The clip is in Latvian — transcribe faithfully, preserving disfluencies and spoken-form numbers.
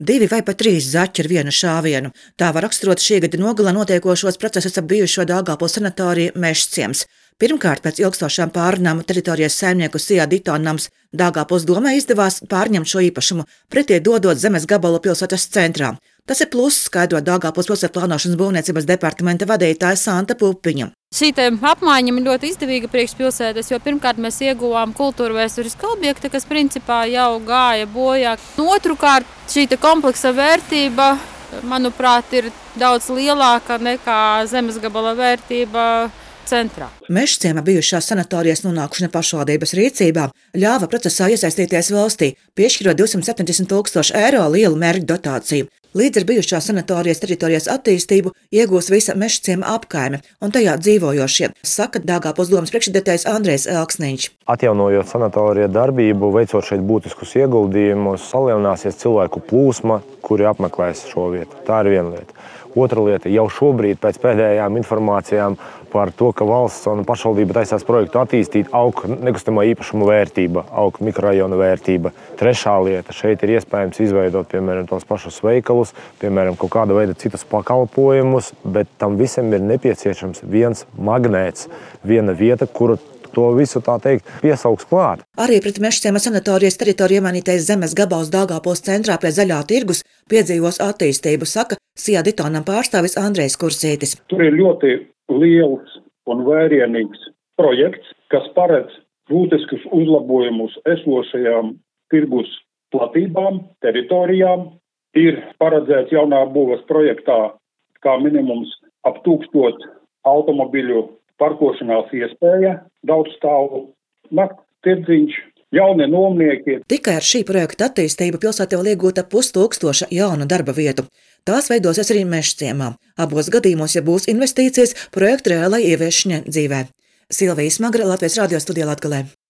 Divi vai pat trīs zaķi ar vienu šāvienu. Tā var raksturot šī gada nogalē notiekošos procesus ap bijušo Daugavpils sanatoriju Mežciems. Pirmkārt, pēc ilgstošām pārunām teritorijas saimnieku Sijā Ditonams Daugavpils domē izdevās pārņemt šo īpašumu, pretī dodot zemes gabalu pilsētas centrā. Tas ir pluss, skaidro Daugavpils pilsētu plānošanas būvniecības departamenta vadītāja Santa Pupiņa. Šī apmaiņa ir ļoti izdevīga priekšpilsētas, jo pirmkārt mēs ieguvām kultūra vēsturisku objektu, kas principā jau gāja bojā. Otrukārt, šī kompleksa vērtība, manuprāt, ir daudz lielāka nekā zemes gabala vērtība centrā. Mežciema bijušās sanatorijas nonākšana pašvaldības rīcībā ļāva procesā iesaistīties valstī, piešķirot divsimt septiņdesmit tūkstošu eiro lielu mērķu dotāciju. Līdz ar bijušās sanatorijas teritorijas attīstību iegūs visa Mežciema apkaime un tajā dzīvojošie, saka Daugavpils domas priekšsēdētājs Andrejs Elksniņš. Atjaunojot sanatoriju darbību, veicot šeit būtiskus ieguldījumus, palielināsies cilvēku plūsma, kuri apmeklēs šo vietu. Tā ir viena lieta. Otra lieta, jau šobrīd pēc pēdējām informācijām par to, ka valsts un pašvaldība taisās projektu attīstīt, aug nekustamā īpašuma vērtība, aug mikrorajona vērtība. Trešā lieta, šeit ir iespējams izveidot, piemēram, tos pašus veikalus, piemēram, kaut kāda veida citus pakalpojumus, bet tam visam ir nepieciešams viens magnēts, viena vieta, kuru to visu, tā teikt, piesauks klāt. Arī pret Mežciema sanatorijas teritoriju iemanītais zemes gabals Daugavpils centrā pie Zaļā tirgus piedzīvos attīstību, saka Sijā Ditonam pārstāvis Andrejs Kursītis. Tur ir ļoti liels un vērienīgs projekts, kas paredz būtiskus uzlabojumus esošajām tirgus platībām, teritorijām. Ir paredzēts jaunā būvas projektā kā minimums ap tūkstošu automobiļu parkošanās iespēja, daudz stāvu nakts tirdziņš, jaunie nomnieki. Tikai ar šī projekta attīstību pilsētā vēl iegūta pustūkstoša jaunu darba vietu. Tās veidosies arī Mežciemā. Abos gadījumos, ja būs investīcijas, projekta reālai ieviešana dzīvē. Silvija Smagra, Latvijas radio studijā Latgalē.